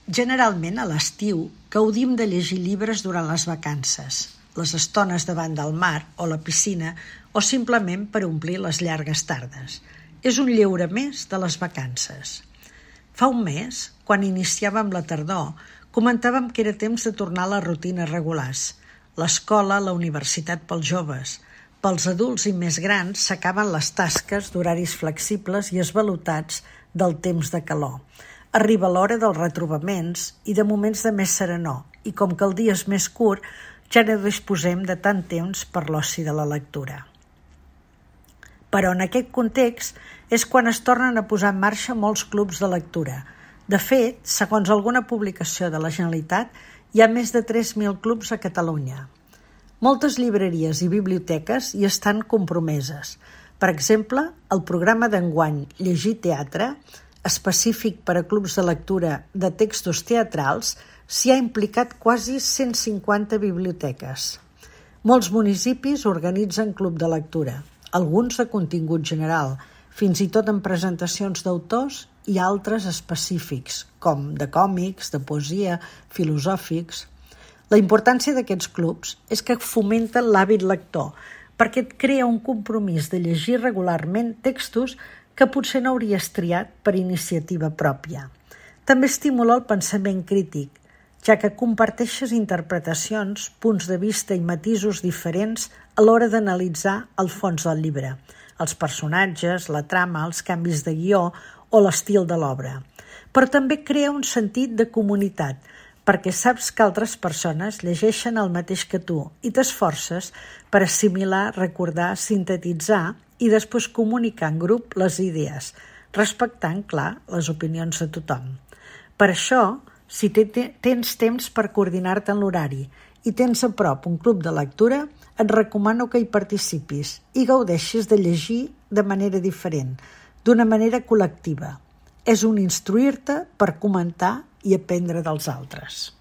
Generalment, a l'estiu, gaudim de llegir llibres durant les vacances, les estones davant del mar o la piscina o simplement per omplir les llargues tardes. És un lleure més de les vacances. Fa un mes, quan iniciàvem la tardor, comentàvem que era temps de tornar a les rutines regulars. L'escola, la universitat pels joves. Pels adults i més grans s'acaben les tasques d'horaris flexibles i esvalotats del temps de calor. Arriba l'hora dels retrobaments i de moments de més serenor, i com que el dia és més curt, ja no disposem de tant temps per l'oci de la lectura. Però en aquest context és quan es tornen a posar en marxa molts clubs de lectura. De fet, segons alguna publicació de la Generalitat, hi ha més de 3.000 clubs a Catalunya. Moltes llibreries i biblioteques hi estan compromeses. Per exemple, el programa d'enguany Llegir Teatre, específic per a clubs de lectura de textos teatrals, s'hi ha implicat quasi 150 biblioteques. Molts municipis organitzen club de lectura, alguns de contingut general, fins i tot en presentacions d'autors i altres específics, com de còmics, de poesia, filosòfics. La importància d'aquests clubs és que fomenten l'hàbit lector, perquè et crea un compromís de llegir regularment textos que potser no hauries triat per iniciativa pròpia. També estimula el pensament crític, ja que comparteixes interpretacions, punts de vista i matisos diferents a l'hora d'analitzar el fons del llibre, els personatges, la trama, els canvis de guió o l'estil de l'obra. Però també crea un sentit de comunitat, perquè saps que altres persones llegeixen el mateix que tu i t'esforces per assimilar, recordar, sintetitzar i després comunicar en grup les idees, respectant, clar, les opinions de tothom. Per això, si tens temps per coordinar-te en l'horari i tens a prop un club de lectura, et recomano que hi participis i gaudeixis de llegir de manera diferent, d'una manera col·lectiva. És un instruir-te per comentar i aprendre dels altres.